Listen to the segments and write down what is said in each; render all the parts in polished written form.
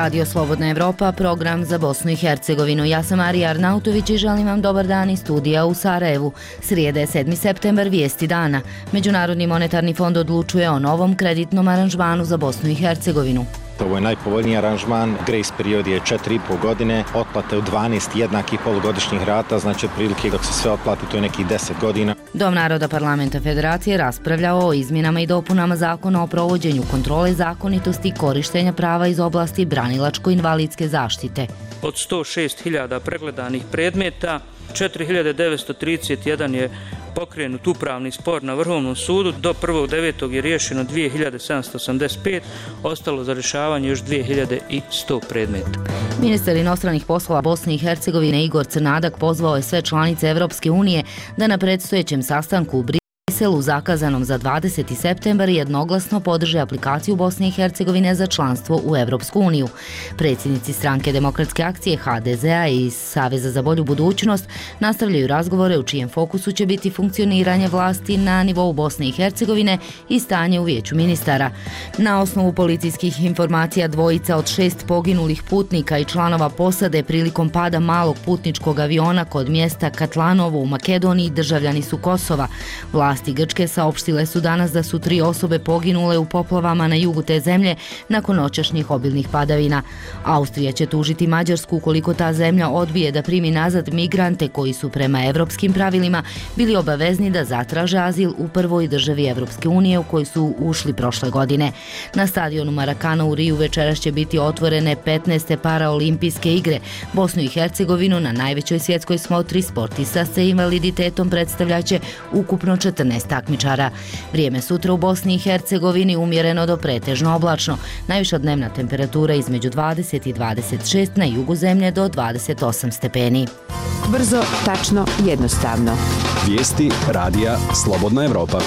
Radio Slobodna Evropa, program za Bosnu i Hercegovinu. Ja sam Marija Arnautović i želim vam dobar dan iz studija u Sarajevu. Srijede 7. septembar, vijesti dana. Međunarodni monetarni fond odlučuje o novom kreditnom aranžmanu za Bosnu i Hercegovinu. Ovo je najpovoljniji aranžman, grace period je 4,5 godine, otplate u 12 jednakih polugodišnjih rata, znači otprilike dok se sve otplati to je nekih 10 godina. Dom naroda parlamenta federacije raspravljao o izmjenama i dopunama zakona o provođenju kontrole zakonitosti korištenja prava iz oblasti branilačko-invalidske zaštite. Od 106.000 pregledanih predmeta, 4.931 je pokrenut upravni spor na Vrhovnom sudu, do 1.9. je riješeno 2.785, ostalo za rješavanje još 2.100 predmeta. Ministar inostranih poslova Bosne i Hercegovine Igor Crnadak pozvao je sve članice Evropske unije da na predstojećem sastanku u Briselu zakazanom za 20. septembar jednoglasno podrže aplikaciju Bosne i Hercegovine za članstvo u Evropsku uniju. Predsjednici Stranke demokratske akcije HDZ-a i Saveza za bolju budućnost nastavljaju razgovore u čijem fokusu će biti funkcioniranje vlasti na nivou Bosne i Hercegovine i stanje u vijeću ministara. Na osnovu policijskih informacija dvojica od 6 poginulih putnika i članova posade prilikom pada malog putničkog aviona kod mjesta Katlanovo u Makedoniji državljani su Kosova. Vlasti Grčke saopštile su danas da su 3 osobe poginule u poplavama na jugu te zemlje nakon noćašnjih obilnih padavina. Austrija će tužiti Mađarsku ukoliko ta zemlja odbije da primi nazad migrante koji su prema evropskim pravilima bili obavezni da zatraže azil u prvoj državi Evropske unije u koju su ušli prošle godine. Na stadionu Marakana u Riju večeras će biti otvorene 15. paraolimpijske igre. Bosnu i Hercegovinu na najvećoj svjetskoj smotri sportista sa invaliditetom predstavljaće ukupno 14 takmičara. Vrijeme sutra u Bosni i Hercegovini umjereno do pretežno oblačno. Najviša dnevna temperatura između 20 i 26, na jugu zemlje do 28 stepeni. Brzo, tačno, jednostavno. Vijesti radija Slobodna Evropa.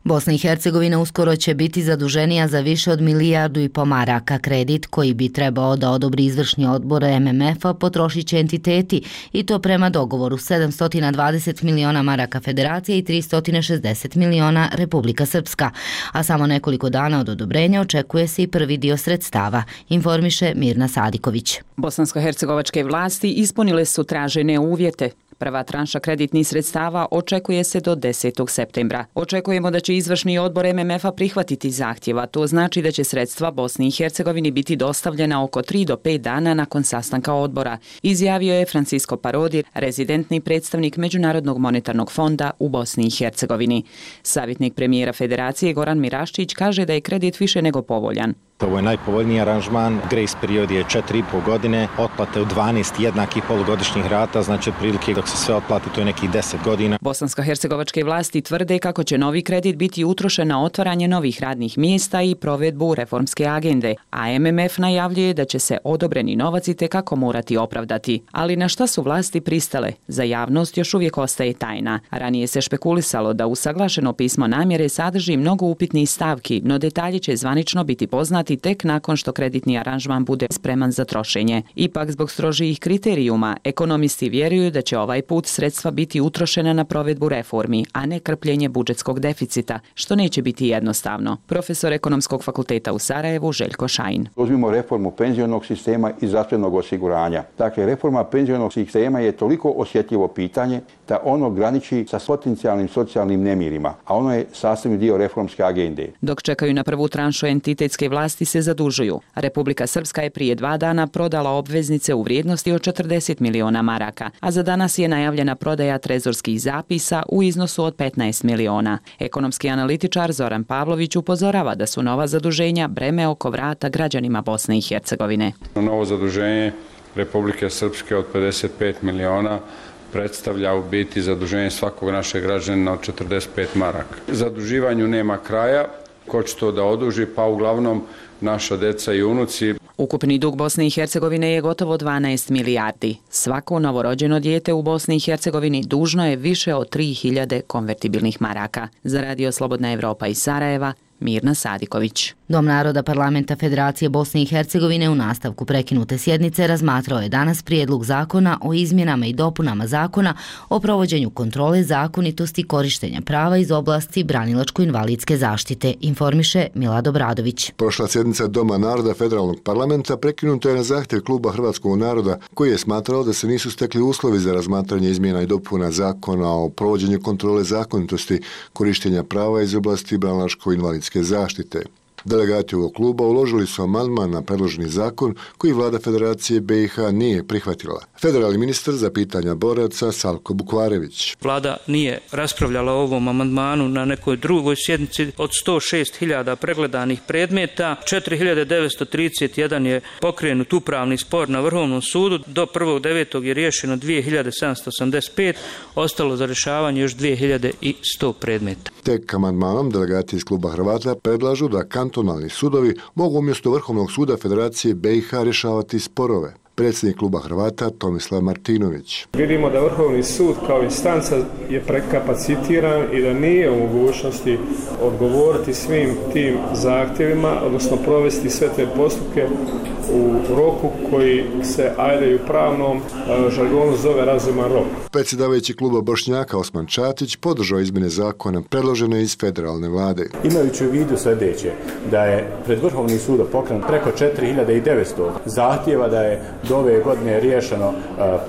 Bosna i Hercegovina uskoro će biti zaduženija za više od 1,5 milijardu maraka. Kredit koji bi trebao da odobri izvršni odbor MMF-a potrošit će entiteti i to prema dogovoru 720 miliona maraka Federacije i 360 miliona Republika Srpska. A samo nekoliko dana od odobrenja očekuje se i prvi dio sredstava, informiše Mirna Sadiković. Bosansko-hercegovačke vlasti ispunile su tražene uvjete. Prva tranša kreditnih sredstava očekuje se do 10. septembra. Očekujemo da će izvršni odbor MMF-a prihvatiti zahtjeva. To znači da će sredstva Bosni i Hercegovini biti dostavljena oko 3 do 5 dana nakon sastanka odbora, izjavio je Francisco Parodi, rezidentni predstavnik Međunarodnog monetarnog fonda u Bosni i Hercegovini. Savjetnik premijera Federacije Goran Miraščić kaže da je kredit više nego povoljan. Ovo je najpovoljniji aranžman, grace period je 4,5 godine, otplate u 12 jednakih polugodišnjih rata, znači otprilike dok se sve otplati to je nekih 10 godina. Bosansko-hercegovačke vlasti tvrde kako će novi kredit biti utrošen na otvaranje novih radnih mjesta i provedbu reformske agende, a MMF najavljuje da će se odobreni novac itekako morati opravdati. Ali na šta su vlasti pristale? Za javnost još uvijek ostaje tajna. Ranije se špekulisalo da usaglašeno pismo namjere sadrži mnogo upitnih stavki, no detalji će zvanično biti poznati tek nakon što kreditni aranžman bude spreman za trošenje. Ipak, zbog strožijih kriterijuma, ekonomisti vjeruju da će ovaj put sredstva biti utrošena na provedbu reformi, a ne krpljenje budžetskog deficita, što neće biti jednostavno. Profesor Ekonomskog fakulteta u Sarajevu Željko Šajin. Uzmimo reformu penzionog sistema i zdravstvenog osiguranja. Dakle, reforma penzionog sistema je toliko osjetljivo pitanje da ono graniči sa potencijalnim socijalnim nemirima, a ono je sastavni dio reformske agende. Dok čekaju na prvu tranšu, entitetske vlasti se zadužuju. Republika Srpska je prije 2 dana prodala obveznice u vrijednosti od 40 miliona maraka, a za danas je najavljena prodaja trezorskih zapisa u iznosu od 15 miliona. Ekonomski analitičar Zoran Pavlović upozorava da su nova zaduženja breme oko vrata građanima Bosne i Hercegovine. Novo zaduženje Republike Srpske od 55 miliona predstavlja u biti zaduženje svakog našeg građanina od 45 maraka. Zaduživanju nema kraja. Ko će to da oduži? Pa uglavnom naša deca i unuci. Ukupni dug Bosne i Hercegovine je gotovo 12 milijardi. Svako novorođeno dijete u Bosni i Hercegovini dužno je više od 3000 konvertibilnih maraka. Za Radio Slobodna Evropa iz Sarajeva, Mirna Sadiković. Dom naroda Parlamenta Federacije Bosne i Hercegovine u nastavku prekinute sjednice razmatrao je danas prijedlog zakona o izmjenama i dopunama zakona o provođenju kontrole zakonitosti korištenja prava iz oblasti branilačko-invalidske zaštite, informiše Milado Bradović. Prošla sjednica Doma naroda Federalnog parlamenta prekinuta je na zahtjev Kluba Hrvatskog naroda, koji je smatrao da se nisu stekli uslovi za razmatranje izmjena i dopuna zakona o provođenju kontrole zakonitosti korištenja prava iz oblasti branilačko-invalidske zaštite. Delegati ovog kluba uložili su amandman na predloženi zakon koji vlada Federacije BiH nije prihvatila. Federalni ministar za pitanja boraca Salko Bukvarević. Vlada nije raspravljala o ovom amandmanu na nekoj drugoj sjednici. Od 106.000 pregledanih predmeta, 4.931 je pokrenut upravni spor na Vrhovnom sudu. Do 1.9. je riješeno 2.785, ostalo za rješavanje još 2.100 predmeta. Tek amandmanom delegati iz kluba Hrvata predlažu da kantonalni sudovi mogu umjesto Vrhovnog suda Federacije BiH rješavati sporove. Predsjednik kluba Hrvata Tomislav Martinović. Vidimo da Vrhovni sud kao instanca je prekapacitiran i da nije u mogućnosti odgovoriti svim tim zahtjevima, odnosno provesti sve te postupke u roku koji se ajde u pravnom žargonu zove razuman rok. Predsjedavajući kluba Bošnjaka Osman Čatić podržao izmjene zakona predložene iz federalne vlade. Imajući u vidu sljedeće, da je pred Vrhovnim sudom pokrenut preko 4.900 zahtjeva, da je do ove godine riješeno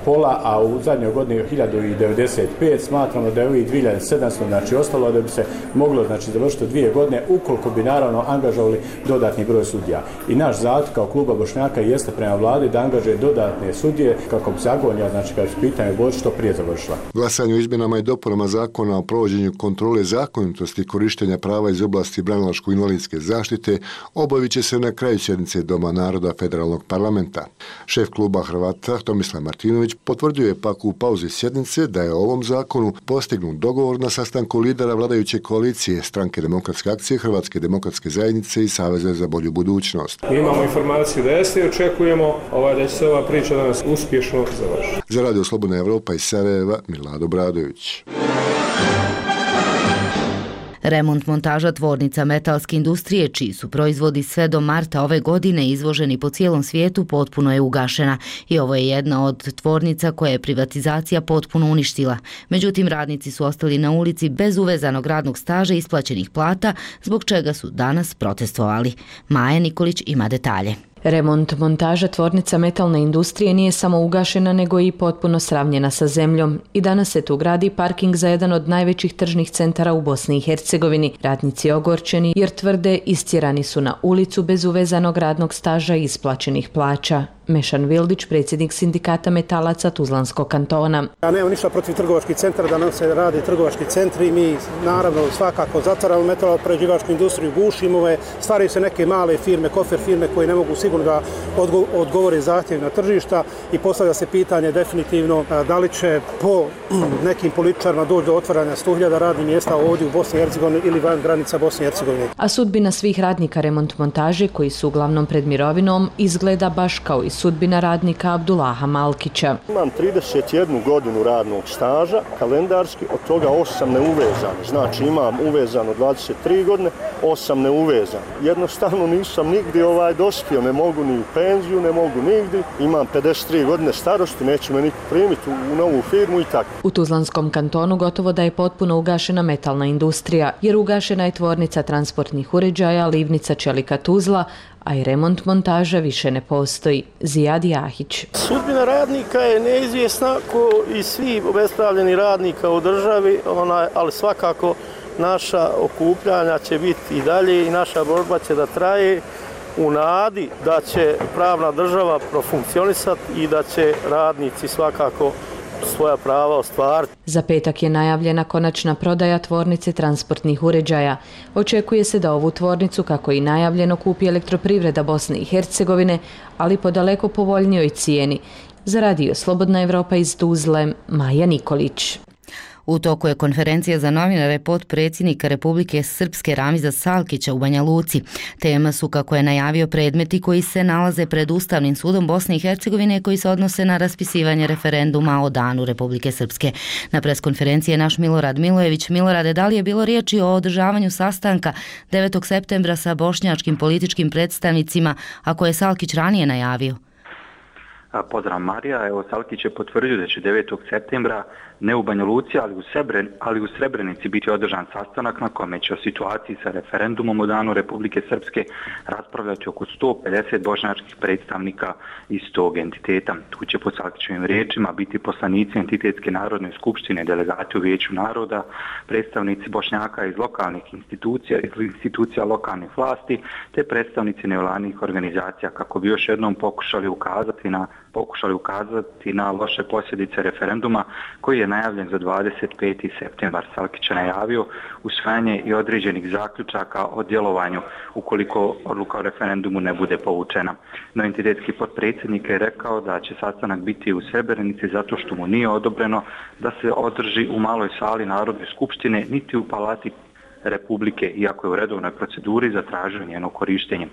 pola, a u zadnjoj godini 1095, smatramo da je ovih 2700, znači ostalo da bi se moglo završiti 2 godine, ukoliko bi naravno angažovali dodatni broj sudija. I naš zahtjev kao kluba Bošnjaka jeste prema vladi da angažuje dodatne sudije kako bi se agonija, kad su pitanje Božić, što prije završila. Glasanje o izmjenama i dopunama zakona o provođenju kontrole zakonitosti korištenja prava iz oblasti branilačko-invalidske zaštite obavit će se na kraju sjednice Doma naroda Federalnog parlamenta. Šef kluba Hrvata Tomislav Martinović potvrdio je pak u pauzi sjednice da je o ovom zakonu postignut dogovor na sastanku lidera vladajuće koalicije Stranke demokratske akcije, Hrvatske demokratske zajednice i Saveza za bolju budućnost. Mi imamo informaciju da jeste i očekujemo da će se ova priča danas uspješno završiti. Za Radio Slobodna Evropa iz Sarajeva, Milado Bradović. Remont montaža tvornica metalske industrije, čiji su proizvodi sve do marta ove godine izvoženi po cijelom svijetu, potpuno je ugašena i ovo je jedna od tvornica koje je privatizacija potpuno uništila. Međutim, radnici su ostali na ulici bez uvezanog radnog staža i isplaćenih plata, zbog čega su danas protestovali. Maja Nikolić ima detalje. Remont montaža tvornica metalne industrije nije samo ugašena, nego i potpuno sravnjena sa zemljom. I danas se tu gradi parking za jedan od najvećih tržnih centara u Bosni i Hercegovini. Radnici ogorčeni jer tvrde istjerani su na ulicu bez uvezanog radnog staža i isplaćenih plaća. Mešan Vildić, predsjednik sindikata metalaca Tuzlanskog kantona. Ja nemam ništa protiv trgovačkih centara, da nam se rade trgovački centri. Mi naravno svakako zatvaramo metaloprerađivačku industriju, gušimo je, stvaraju se neke male firme, kofer firme koje ne mogu sigurno da odgovore zahtjevima tržišta i postavlja se pitanje definitivno da li će po nekim političarima doći do otvaranja 100.000 radnih mjesta ovdje u Bosni i Hercegovini ili van granica Bosne i Hercegovine. A sudbina svih radnika remont montaže, koji su uglavnom pred mirovinom, izgleda baš kao i sudbina radnika Abdullaha Malkića. Imam 31 godinu radnog staža, kalendarski, od toga 8 neuvezano. Znači imam uvezano 23 godine, 8 neuvezano. Jednostavno nisam nigdje dospio, ne mogu ni u penziju, ne mogu nigdje. Imam 53 godine starosti, neće me niko primiti u novu firmu i tako. U Tuzlanskom kantonu gotovo da je potpuno ugašena metalna industrija, jer ugašena je tvornica transportnih uređaja, livnica čelika Tuzla, a i remont montaža više ne postoji. Zijad Jahić. Sudbina radnika je neizvjesna ko i svi obespravljeni radnika u državi, ali svakako naša okupljanja će biti i dalje i naša borba će da traje u nadi da će pravna država profunkcionisati i da će radnici svakako svoja prava ostvariti. Za petak je najavljena konačna prodaja tvornice transportnih uređaja. Očekuje se da ovu tvornicu, kako i najavljeno, kupi Elektroprivreda Bosne i Hercegovine, ali po daleko povoljnijoj cijeni. Za Radio Slobodna Evropa iz Tuzle, Maja Nikolić. U toku je konferencija za novinare potpredsjednika Republike Srpske Ramiza Salkića u Banja Luci. Tema su, kako je najavio, predmeti koji se nalaze pred Ustavnim sudom Bosne i Hercegovine koji se odnose na raspisivanje referenduma o danu Republike Srpske. Na preskonferenciji je naš Milorad Milojević. Milorade, da li je bilo riječi o održavanju sastanka 9. septembra sa bošnjačkim političkim predstavnicima, a koje je Salkić ranije najavio? Pozdrav Marija, evo Salkić je potvrdio da će 9. septembra ne u Banja Luci, ali u Srebrenici biti održan sastanak na kome će o situaciji sa referendumom o danu Republike Srpske raspravljati oko 150 bošnjačkih predstavnika iz tog entiteta. Tu će po Salkićevim riječima biti poslanici entitetske narodne skupštine, delegati u Vijeću naroda, predstavnici Bošnjaka iz lokalnih institucija, iz institucija lokalnih vlasti, te predstavnici nevladnih organizacija, kako bi još jednom pokušali ukazati na loše posljedice referenduma koji je najavljen za 25. septembar. Salkić je najavio usvajanje i određenih zaključaka o djelovanju ukoliko odluka o referendumu ne bude povučena. No entitetski potpredsjednik je rekao da će sastanak biti u Srebrenici zato što mu nije odobreno da se održi u maloj sali Narodne skupštine niti u Palati Republike, iako je u redovnoj proceduri zatražio njeno korištenje.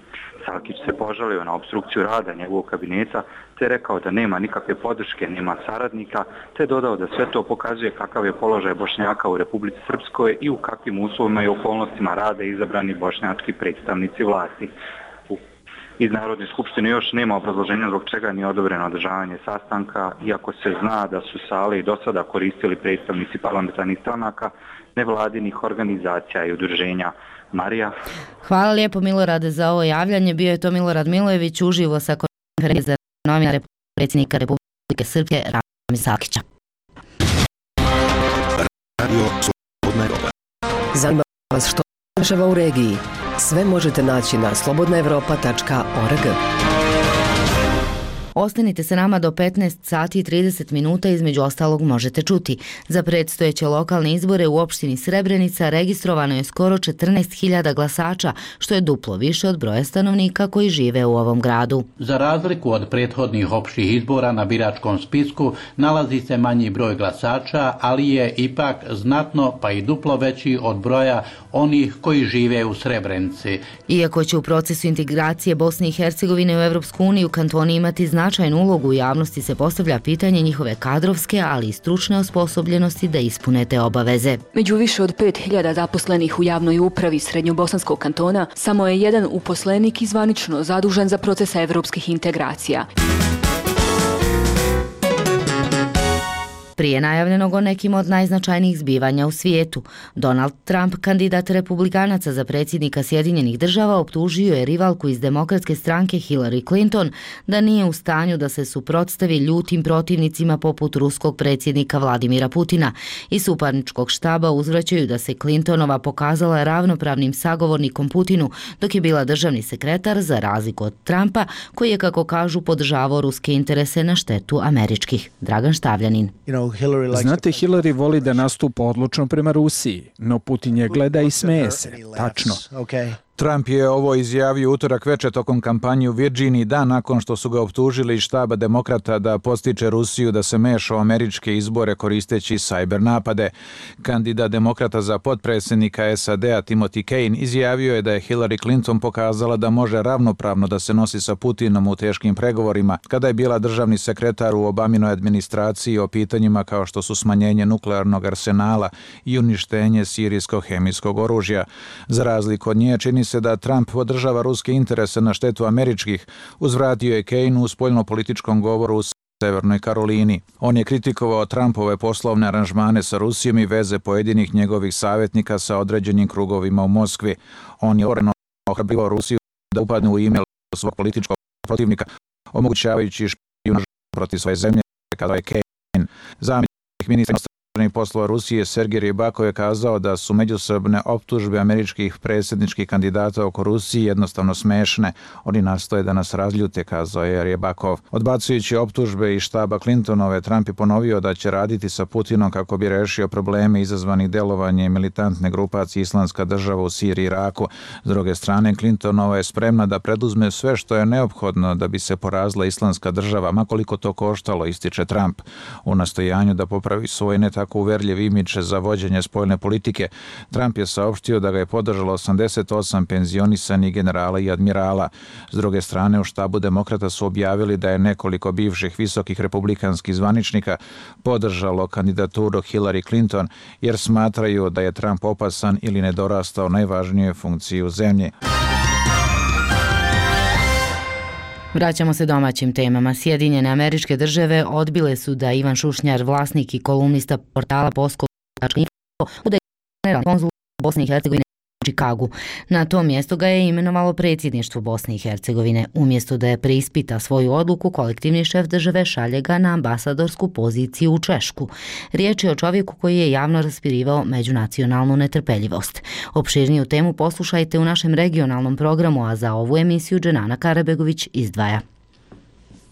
Salkić se požalio na opstrukciju rada njegovog kabineta, te rekao da nema nikakve podrške, nema saradnika, te dodao da sve to pokazuje kakav je položaj Bošnjaka u Republici Srpskoj i u kakvim uslovima i okolnostima rade izabrani bošnjački predstavnici vlasti. Iz Narodne skupštine još nema obrazloženja zbog čega nije odobreno održavanje sastanka, iako se zna da su sale i do sada koristili predstavnici parlamentarnih stranaka, nevladinih organizacija i udruženja. Marija. Hvala lijepo Milorade za ovo javljanje. Bio je to Milorad Milojević uživo sa konferencije za novinare predsjednika Republike Srpske Ramiza Salkića. Radio Slobodna Evropa. Zanima vas što dešava u regiji? Sve možete naći na slobodnaevropa.org. Ostanite se nama do 15 sati i 30 minuta, između ostalog možete čuti. Za predstojeće lokalne izbore u opštini Srebrenica registrovano je skoro 14.000 glasača, što je duplo više od broja stanovnika koji žive u ovom gradu. Za razliku od prethodnih opštih izbora na biračkom spisku nalazi se manji broj glasača, ali je ipak znatno pa i duplo veći od broja onih koji žive u Srebrenici. Iako će u procesu integracije Bosne i Hercegovine u Evropsku uniju kantoni imati značajnu ulogu, u javnosti se postavlja pitanje njihove kadrovske, ali i stručne osposobljenosti da ispune te obaveze. Među više od 5.000 zaposlenih u javnoj upravi Srednjobosanskog kantona samo je jedan uposlenik zvanično zadužen za procese evropskih integracija. Prije najavljenog o nekim od najznačajnijih zbivanja u svijetu, Donald Trump, kandidat republikanaca za predsjednika Sjedinjenih država, optužio je rivalku iz demokratske stranke Hillary Clinton da nije u stanju da se suprotstavi ljutim protivnicima poput ruskog predsjednika Vladimira Putina. Iz suparničkog štaba uzvraćaju da se Clintonova pokazala ravnopravnim sagovornikom Putinu dok je bila državni sekretar, za razliku od Trumpa, koji je, kako kažu, podržavao ruske interese na štetu američkih. Dragan Štavljanin. Znate, Hillary voli da nastupa odlučno prema Rusiji, no Putin je gleda i smeje se. Tačno. Trump je ovo izjavio utorak veče tokom kampanje u Virginiji, dan nakon što su ga optužili iz štaba demokrata da podstiče Rusiju da se meša u američke izbore koristeći cyber napade. Kandidat demokrata za potpredsjednika SAD-a Timothy Kane izjavio je da je Hillary Clinton pokazala da može ravnopravno da se nosi sa Putinom u teškim pregovorima kada je bila državni sekretar u Obaminoj administraciji o pitanjima kao što su smanjenje nuklearnog arsenala i uništenje sirijskog hemijskog oružja. Za razliku od nje, čini se da Trump podržava ruske interese na štetu američkih, uzvratio je Kane u spoljnopolitičkom govoru u Severnoj Karolini. On je kritikovao Trumpove poslovne aranžmane sa Rusijom i veze pojedinih njegovih savjetnika sa određenim krugovima u Moskvi. On je otvoreno ohrabrivao Rusiju da upadne u email svog političkog protivnika, omogućavajući špijunažu protiv svoje zemlje, kazao je Kane. Zamjenik ministra inostranih poslova Rusije Sergej Rybakov je kazao da su međusobne optužbe američkih predsjedničkih kandidata oko Rusije jednostavno smešne. Oni nastoje da nas razljute, kazao je Rybakov. Odbacujući optužbe iz štaba Clintonove, Trump je ponovio da će raditi sa Putinom kako bi rešio probleme izazvanih delovanjem militantne grupacije Islamska država u Siriji i Iraku. S druge strane, Clintonova je spremna da preduzme sve što je neophodno da bi se porazila Islamska država, ma koliko to koštalo, ističe Trump. U nastojanju da popravi svoj ne tako jako uverljiv imidž za vođenje spoljne politike. Trump je saopštio da ga je podržalo 88 penzionisanih generala i admirala. S druge strane, u štabu demokrata su objavili da je nekoliko bivših visokih republikanskih zvaničnika podržalo kandidaturu Hillary Clinton jer smatraju da je Trump opasan ili nedorastao najvažnijoj funkciji u zemlji. Vraćamo se domaćim temama. Sjedinjene Američke Države odbile su da Ivan Šušnjar, vlasnik i kolumnista portala Poskok.info, bude generalni konzul Bosne i Hercegovine u Čikagu. Na to mjesto ga je imenovalo predsjedništvo Bosne i Hercegovine. Umjesto da je preispita svoju odluku, kolektivni šef države šalje ga na ambasadorsku poziciju u Češku. Riječ je o čovjeku koji je javno raspirivao međunacionalnu netrpeljivost. Opširniju temu poslušajte u našem regionalnom programu, a za ovu emisiju Dženana Karabegović izdvaja.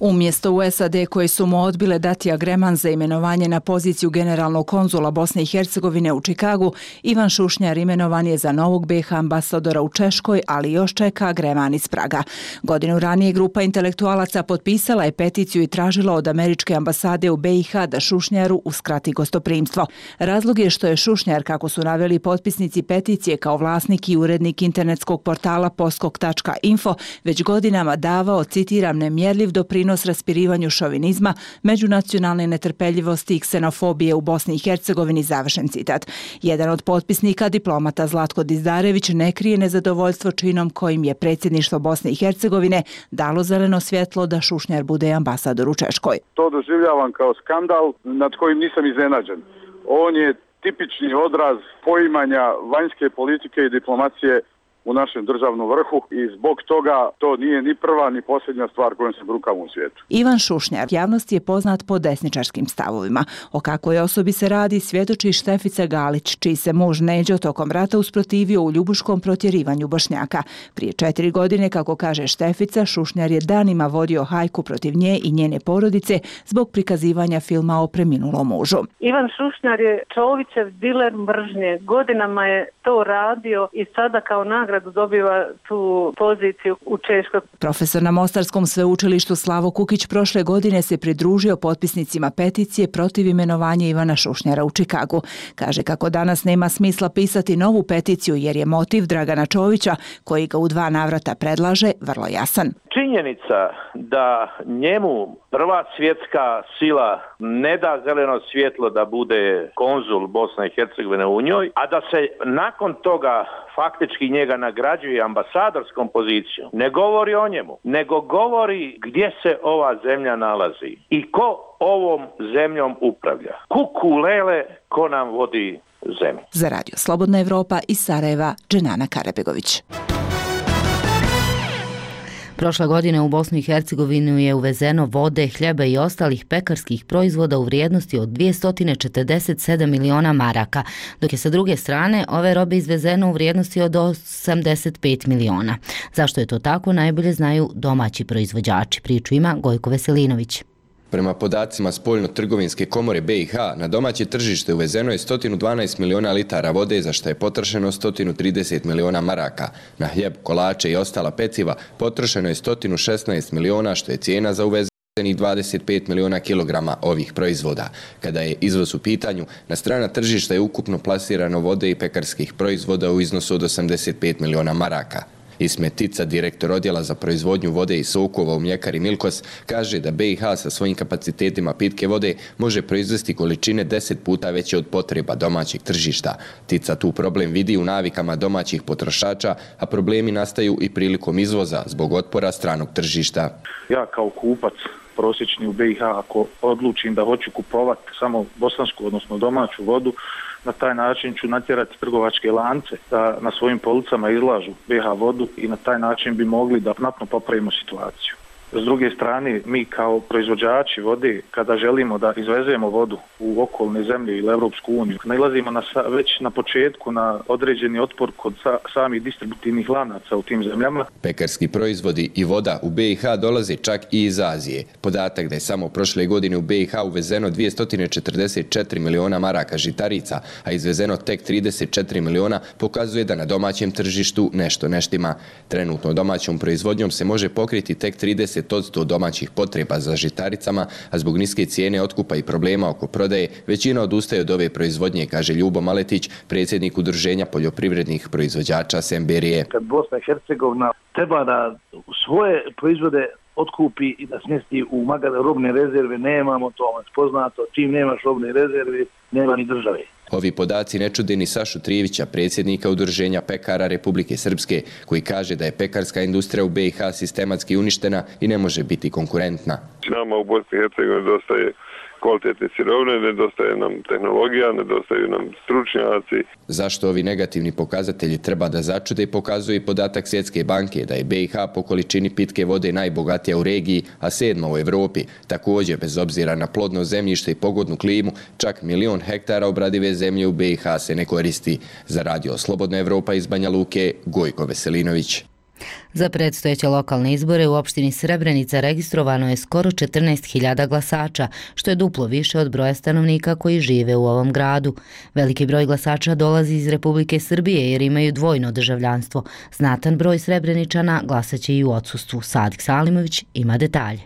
Umjesto u SAD koji su mu odbile dati agreman za imenovanje na poziciju generalnog konzula Bosne i Hercegovine u Čikagu, Ivan Šušnjar imenovan je za novog BiH ambasadora u Češkoj, ali još čeka agreman iz Praga. Godinu ranije grupa intelektualaca potpisala je peticiju i tražila od američke ambasade u BiH da Šušnjaru uskrati gostoprimstvo. Razlog je što je Šušnjar, kako su naveli potpisnici peticije, kao vlasnik i urednik internetskog portala Poskok.info, već godinama davao, citiram, nemjerljiv doprinos raspirivanju šovinizma, međunacionalne netrpeljivosti i ksenofobije u Bosni i Hercegovini, završen citat. Jedan od potpisnika, diplomata Zlatko Dizdarević, ne krije nezadovoljstvo činom kojim je predsjedništvo Bosne i Hercegovine dalo zeleno svjetlo da Šušnjar bude ambasador u Češkoj. To doživljavam kao skandal nad kojim nisam iznenađen. On je tipični odraz poimanja vanjske politike i diplomacije u našem državnom vrhu i zbog toga to nije ni prva ni posljednja stvar kojom se brukamo u svijetu. Ivan Šušnjar javnosti je poznat po desničarskim stavovima. O kakvoj osobi se radi svjedoči Štefica Galić, čiji se muž Neđo tokom rata usprotivio u ljubuškom protjerivanju Bošnjaka. Prije 4 godine, kako kaže Štefica, Šušnjar je danima vodio hajku protiv nje i njene porodice zbog prikazivanja filma o preminulom mužu. Ivan Šušnjar je Čovićev diler mržnje. Godinama je to radio i sada kao nagradu dobiva tu poziciju u Češkoj. Profesor na Mostarskom sveučilištu Slavo Kukić prošle godine se pridružio potpisnicima peticije protiv imenovanja Ivana Šušnjara u Čikagu. Kaže kako danas nema smisla pisati novu peticiju jer je motiv Dragana Čovića, koji ga u 2 navrata predlaže, vrlo jasan. Činjenica da njemu prva svjetska sila ne da zeleno svjetlo da bude konzul Bosne i Hercegovine u njoj, a da se nakon toga faktički njega nagrađuje ambasadorskom pozicijom, ne govori o njemu, nego govori gdje se ova zemlja nalazi i ko ovom zemljom upravlja. Kuku lele, ko nam vodi zemlju. Za Radio Slobodna Evropa iz Sarajeva, Dženana Karabegović. Prošle godine u Bosnu i Hercegovinu je uvezeno vode, hljeba i ostalih pekarskih proizvoda u vrijednosti od 247 miliona maraka, dok je sa druge strane ove robe izvezeno u vrijednosti od 85 miliona. Zašto je to tako, najbolje znaju domaći proizvođači. Priču ima Gojko Veselinović. Prema podacima Spoljno-trgovinske komore BiH, na domaće tržište uvezeno je 112 miliona litara vode, za što je potrošeno 130 miliona maraka. Na hljeb, kolače i ostala peciva potrošeno je 116 miliona, što je cijena za uvezenih 25 miliona kilograma ovih proizvoda. Kada je izvoz u pitanju, na strana tržišta je ukupno plasirano vode i pekarskih proizvoda u iznosu od 85 miliona maraka. Ismet Tica, direktor odjela za proizvodnju vode i sokova u mljekari Milkos, kaže da BiH sa svojim kapacitetima pitke vode može proizvesti količine 10 puta veće od potreba domaćeg tržišta. Tica tu problem vidi u navikama domaćih potrošača, a problemi nastaju i prilikom izvoza zbog otpora stranog tržišta. Ja kao kupac prosječni u BiH, ako odlučim da hoću kupovati samo bosansku, odnosno domaću vodu, na taj način ću natjerati trgovačke lance da na svojim policama izlažu BiH vodu i na taj način bi mogli da znatno popravimo situaciju. S druge strane, mi kao proizvođači vode, kada želimo da izvezemo vodu u okolne zemlje ili Evropsku uniju, nailazimo već na početku na određeni otpor kod samih distributivnih lanaca u tim zemljama. Pekarski proizvodi i voda u BiH dolaze čak i iz Azije. Podatak da je samo prošle godine u BiH uvezeno 244 miliona maraka žitarica, a izvezeno tek 34 miliona, pokazuje da na domaćem tržištu nešto ne štima. Trenutno domaćom proizvodnjom se može pokriti tek 30 30% domaćih potreba za žitaricama, a zbog niske cijene otkupa i problema oko prodaje, većina odustaje od ove proizvodnje, kaže Ljubo Maletić, predsjednik Udruženja poljoprivrednih proizvođača Semberije. Kad Bosna i Hercegovina treba da svoje proizvode otkupi i da smjesti u robne rezerve, nemamo to poznato, čim nemaš robne rezerve, nema ni države. Ovi podaci ne čude ni Sašu Trijevića, predsjednika Udruženja pekara Republike Srpske, koji kaže da je pekarska industrija u BiH sistematski uništena i ne može biti konkurentna. Nama u Bosni i Hercegovini dostaje kvalitetne sirovine, nedostaje nam tehnologija, nedostaju nam stručnjaci. Zašto ovi negativni pokazatelji treba da začude, pokazuje i podatak Svjetske banke da je BiH po količini pitke vode najbogatija u regiji, a 7. u Evropi. Također, bez obzira na plodno zemljište i pogodnu klimu, čak 1 milion hektara obradive zemlje u BiH se ne koristi. Za Radio Slobodna Evropa iz Banja Luke, Gojko Veselinović. Za predstojeće lokalne izbore u opštini Srebrenica registrovano je skoro 14.000 glasača, što je duplo više od broja stanovnika koji žive u ovom gradu. Veliki broj glasača dolazi iz Republike Srbije jer imaju dvojno državljanstvo. Znatan broj Srebreničana glasaće i u odsustvu. Sadik Salimović ima detalje.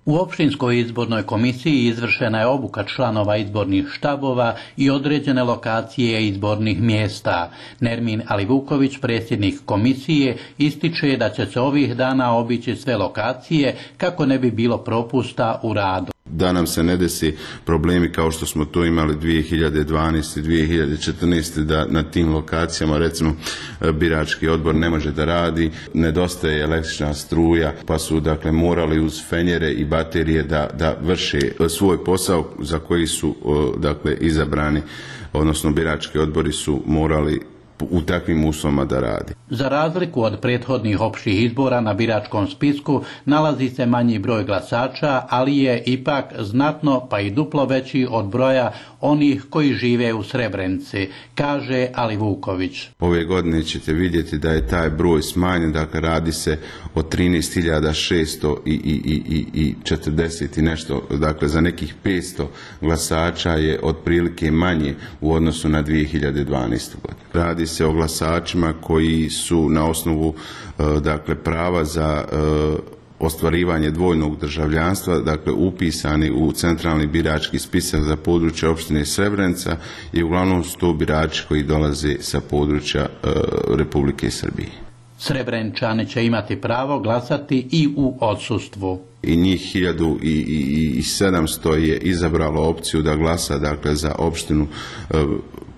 U opštinskoj izbornoj komisiji izvršena je obuka članova izbornih štabova i određene lokacije izbornih mjesta. Nermin Alivuković, predsjednik komisije, ističe da će se ovih dana obići sve lokacije kako ne bi bilo propusta u radu. Da nam se ne desi problemi kao što smo to imali 2012. 2014. da na tim lokacijama recimo birački odbor ne može da radi, nedostaje električna struja, pa su dakle morali uz fenjere i baterije da vrše svoj posao za koji su dakle izabrani, odnosno birački odbori su morali u takvim uslovima da radi. Za razliku od prethodnih opštih izbora na biračkom spisku nalazi se manji broj glasača, ali je ipak znatno pa i duplo veći od broja onih koji žive u Srebrenici, kaže Alivuković. Ove godine ćete vidjeti da je taj broj smanjen, dakle radi se o 13.640 i nešto, dakle za nekih 500 glasača je otprilike manje u odnosu na 2012. godinu. Radi se o glasačima koji su na osnovu dakle prava za ostvarivanje dvojnog državljanstva, dakle upisani u centralni birački spisak za područje opštine Srebrenica i uglavnom su to birači koji dolaze sa područja Republike Srbije. Srebreničani će imati pravo glasati i u odsustvu. I njih 1700 je izabralo opciju da glasa dakle za opštinu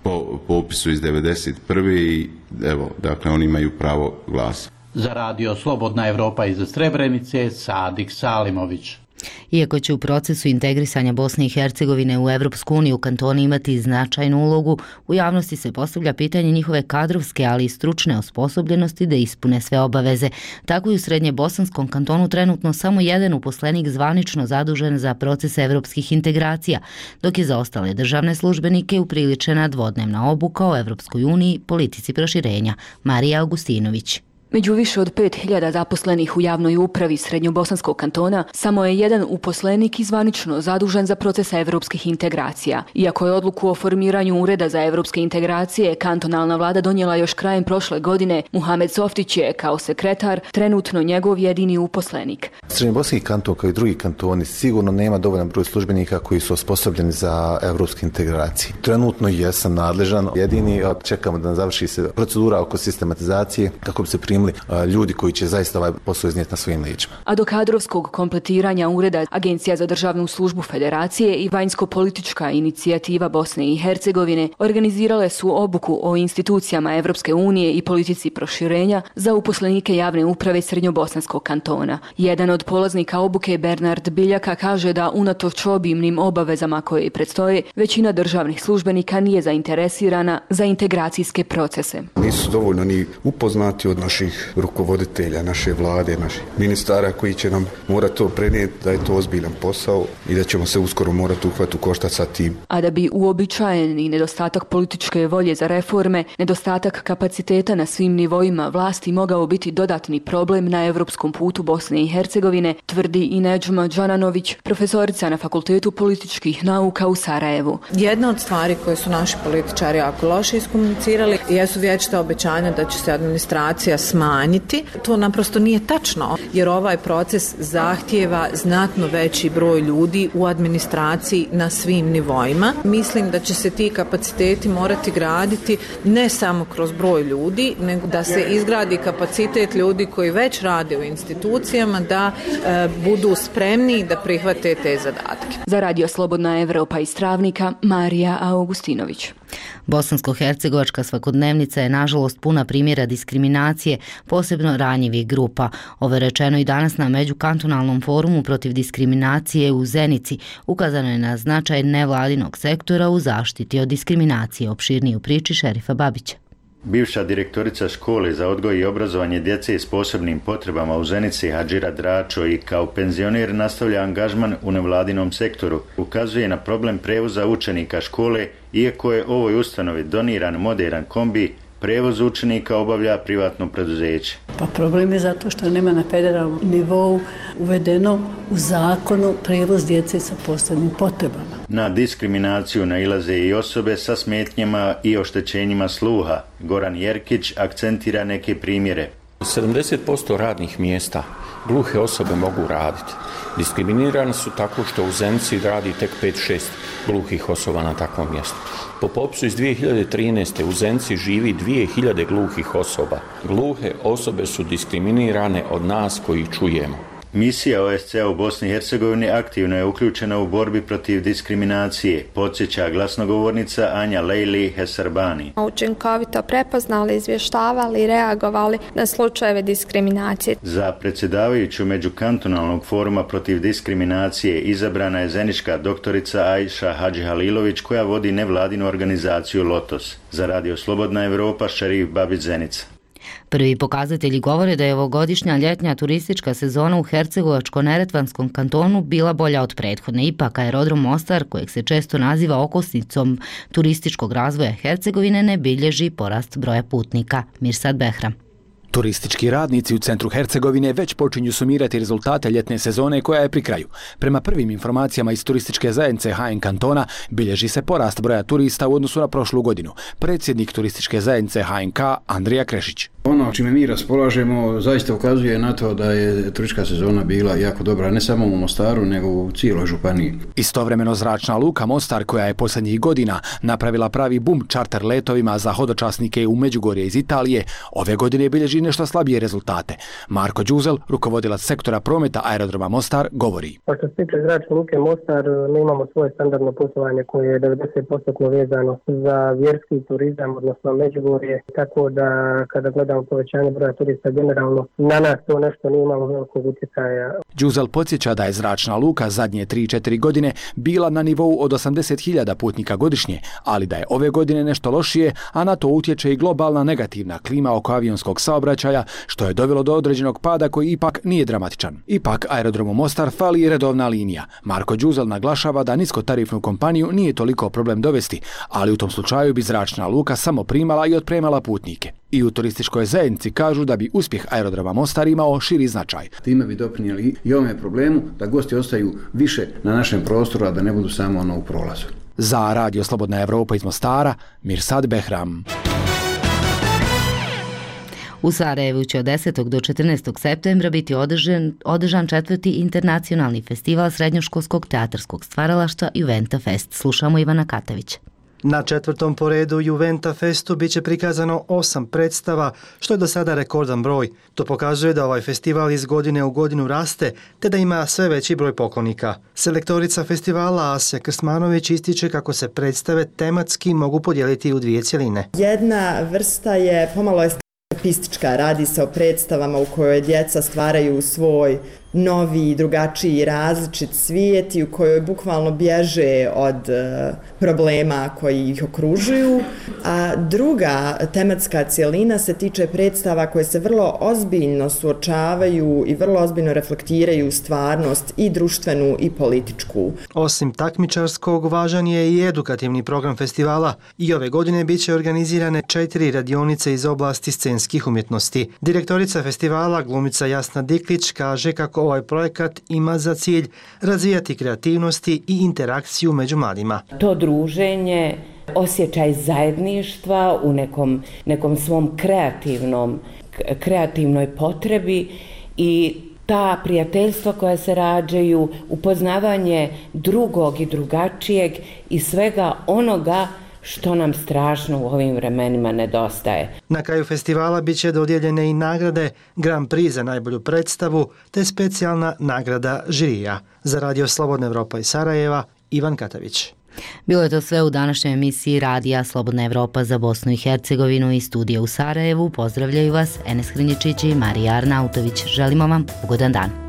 po popisu iz 1991. i evo, dakle oni imaju pravo glasa. Za Radio Slobodna Evropa iz Srebrenice, Sadik Salimović. Iako će u procesu integrisanja Bosne i Hercegovine u Evropsku uniju kantoni imati značajnu ulogu, u javnosti se postavlja pitanje njihove kadrovske, ali i stručne osposobljenosti da ispune sve obaveze. Tako i u Srednjebosanskom kantonu trenutno samo jedan uposlenik zvanično zadužen za proces evropskih integracija, dok je za ostale državne službenike upriličena dvodnevna obuka o Evropskoj uniji, politici proširenja. Marija Augustinović. Među više od 5.000 zaposlenih u javnoj upravi Srednjobosanskog kantona samo je jedan uposlenik zvanično zadužen za procesa evropskih integracija. Iako je odluku o formiranju Ureda za evropske integracije kantonalna vlada donijela još krajem prošle godine, Muhamed Softić je kao sekretar trenutno njegov jedini uposlenik. Srednjobosanski kanton kao i drugi kantoni sigurno nema dovoljan broj službenika koji su osposobljeni za evropske integracije. Trenutno jesam nadležan, jedini čekamo da završi se procedura oko sistematizacije kako bi se primili ljudi koji će zaista ovaj posao iznijeti na svojim leđima. A do kadrovskog kompletiranja ureda Agencija za državnu službu Federacije i Vanjsko-politička inicijativa Bosne i Hercegovine organizirale su obuku o institucijama Evropske unije i politici proširenja za uposlenike javne uprave Srednjobosanskog kantona. Jedan od polaznika obuke, Bernard Biljaka, kaže da unatoč obimnim obavezama koje predstoje, većina državnih službenika nije zainteresirana za integracijske procese. Nisu dovoljno ni upoznati od naših rukovoditelja, naše vlade, naših ministara koji će nam morati to prenijeti da je to ozbiljan posao i da ćemo se uskoro morati uhvati u koštac sa tim. A da bi uobičajeni nedostatak političke volje za reforme, nedostatak kapaciteta na svim nivoima vlasti mogao biti dodatni problem na evropskom putu Bosne i Hercegovine, tvrdi i Nedžma Đananović, profesorica na Fakultetu političkih nauka u Sarajevu. Jedna od stvari koje su naši političari jako loše iskomunicirali jesu vječita obećanja da će se administracija smanjiti. To naprosto nije tačno, jer ovaj proces zahtijeva znatno veći broj ljudi u administraciji na svim nivoima. Mislim da će se ti kapaciteti morati graditi ne samo kroz broj ljudi, nego da se izgradi kapacitet ljudi koji već rade u institucijama, da budu spremni da prihvate te zadatke. Za Radio Slobodna Evropa iz Travnika, Marija Augustinović. Bosansko-hercegovačka svakodnevnica je nažalost puna primjera diskriminacije, posebno ranjivih grupa. Ovo je rečeno i danas na Međukantonalnom forumu protiv diskriminacije u Zenici. Ukazano je na značaj nevladinog sektora u zaštiti od diskriminacije. Opširnije u priči Šerifa Babića. Bivša direktorica škole za odgoj i obrazovanje djece s posebnim potrebama u Zenici Hadžira Dračo i kao penzioner nastavlja angažman u nevladinom sektoru. Ukazuje na problem prevoza učenika škole, iako je ovoj ustanovi doniran moderan kombi, prevoz učenika obavlja privatno preduzeće. Pa problem je zato što nema na federalnom nivou uvedeno u zakonu prevoz djece sa posebnim potrebama. Na diskriminaciju nailaze i osobe sa smetnjama i oštećenjima sluha. Goran Jerkić akcentira neke primjere. 70% radnih mjesta gluhe osobe mogu raditi. Diskriminirani su tako što u Zenici radi tek 5-6 gluhih osoba na takvom mjestu. Po popisu iz 2013. u Zenici živi 2000 gluhih osoba. Gluhe osobe su diskriminirane od nas koji čujemo. Misija OSCE u Bosni i Hercegovini aktivno je uključena u borbi protiv diskriminacije, podsjeća glasnogovornica Anja Lejli Hesarbani. Učinkovito prepoznali, izvještavali i reagovali na slučajeve diskriminacije. Za predsjedavajuću Međukantonalnog foruma protiv diskriminacije izabrana je zenička doktorica Ajša Hadžihalilović koja vodi nevladinu organizaciju Lotos. Za Radio Slobodna Evropa, Šerif Babić, Zenica. Prvi pokazatelji govore da je ovogodišnja ljetnja turistička sezona u Hercegovačko-Neretvanskom kantonu bila bolja od prethodne. Ipak aerodrom Mostar, kojeg se često naziva okosnicom turističkog razvoja Hercegovine, ne bilježi porast broja putnika. Mirsad Behram. Turistički radnici u centru Hercegovine već počinju sumirati rezultate ljetne sezone koja je pri kraju. Prema prvim informacijama iz turističke zajednice HN kantona bilježi se porast broja turista u odnosu na prošlu godinu. Predsjednik turističke zajednice HNK Andrija Krešić. Ono čime mi raspolažemo zaista ukazuje na to da je turistička sezona bila jako dobra, ne samo u Mostaru, nego u cijeloj županiji. Istovremeno zračna luka Mostar, koja je posljednjih godina napravila pravi bum čarter letovima za hodočasnike u Međugorje iz Italije, ove godine bilježi nešto slabije rezultate. Marko Đuzel, rukovodilac sektora prometa aerodroma Mostar, govori. Što se tiče zračne luke Mostar, mi imamo svoje standardno putovanje koje je 90% vezano za vjerski turizam, odnosno Međugorje, tako da kada gledamo povećanje broja turista generalno, na nas to nešto nije imalo velikog utjecaja. Đuzel podsjeća da je zračna luka zadnje 3-4 godine bila na nivou od 80.000 putnika godišnje, ali da je ove godine nešto lošije, a na to utječe i globalna negativna klima oko avionskog saobraćaja, što je dovelo do određenog pada koji ipak nije dramatičan. Ipak aerodromu Mostar fali i redovna linija. Marko Đuzel naglašava da niskotarifnu kompaniju nije toliko problem dovesti, ali u tom slučaju bi zračna luka samo primala i otpremala putnike. I u turističkoj zajednici kažu da bi uspjeh aerodroma Mostar imao širi značaj. Time bi doprinijeli i ovome problemu da gosti ostaju više na našem prostoru, a da ne budu samo u prolazu. Za Radio Slobodna Evropa iz Mostara, Mirsad Behram. U Sarajevu će od 10. do 14. septembra biti održan 4. internacionalni festival srednjoškolskog teatarskog stvaralaštva Juventa Fest. Slušamo Ivana Katavića. Na 4. po redu Juventa Festu biće prikazano 8 predstava, što je do sada rekordan broj. To pokazuje da ovaj festival iz godine u godinu raste, te da ima sve veći broj poklonika. Selektorica festivala Asja Krsmanović ističe kako se predstave tematski mogu podijeliti u dvije cjeline. Jedna vrsta je pomalo eskapistička, radi se o predstavama u kojoj djeca stvaraju svoj novi, drugačiji, različit svijet i u kojoj bukvalno bježe od problema koji ih okružuju. A druga tematska cjelina se tiče predstava koje se vrlo ozbiljno suočavaju i vrlo ozbiljno reflektiraju stvarnost i društvenu i političku. Osim takmičarskog, važan je i edukativni program festivala i ove godine bit će organizirane 4 radionice iz oblasti scenskih umjetnosti. Direktorica festivala, glumica Jasna Diklić, kaže kako ovaj projekat ima za cilj razvijati kreativnosti i interakciju među mladima. To druženje, osjećaj zajedništva u nekom svom kreativnom kreativnoj potrebi i ta prijateljstva koja se rađaju, upoznavanje drugog i drugačijeg i svega onoga što nam strašno u ovim vremenima nedostaje. Na kraju festivala bit će dodijeljene i nagrade Grand Prix za najbolju predstavu te specijalna nagrada žirija. Za Radio Slobodna Evropa iz Sarajeva, Ivan Katavić. Bilo je to sve u današnjoj emisiji Radija Slobodna Evropa za Bosnu i Hercegovinu iz studija u Sarajevu. Pozdravljaju vas Enes Hrinjičić i Marija Arnautović. Želimo vam ugodan dan.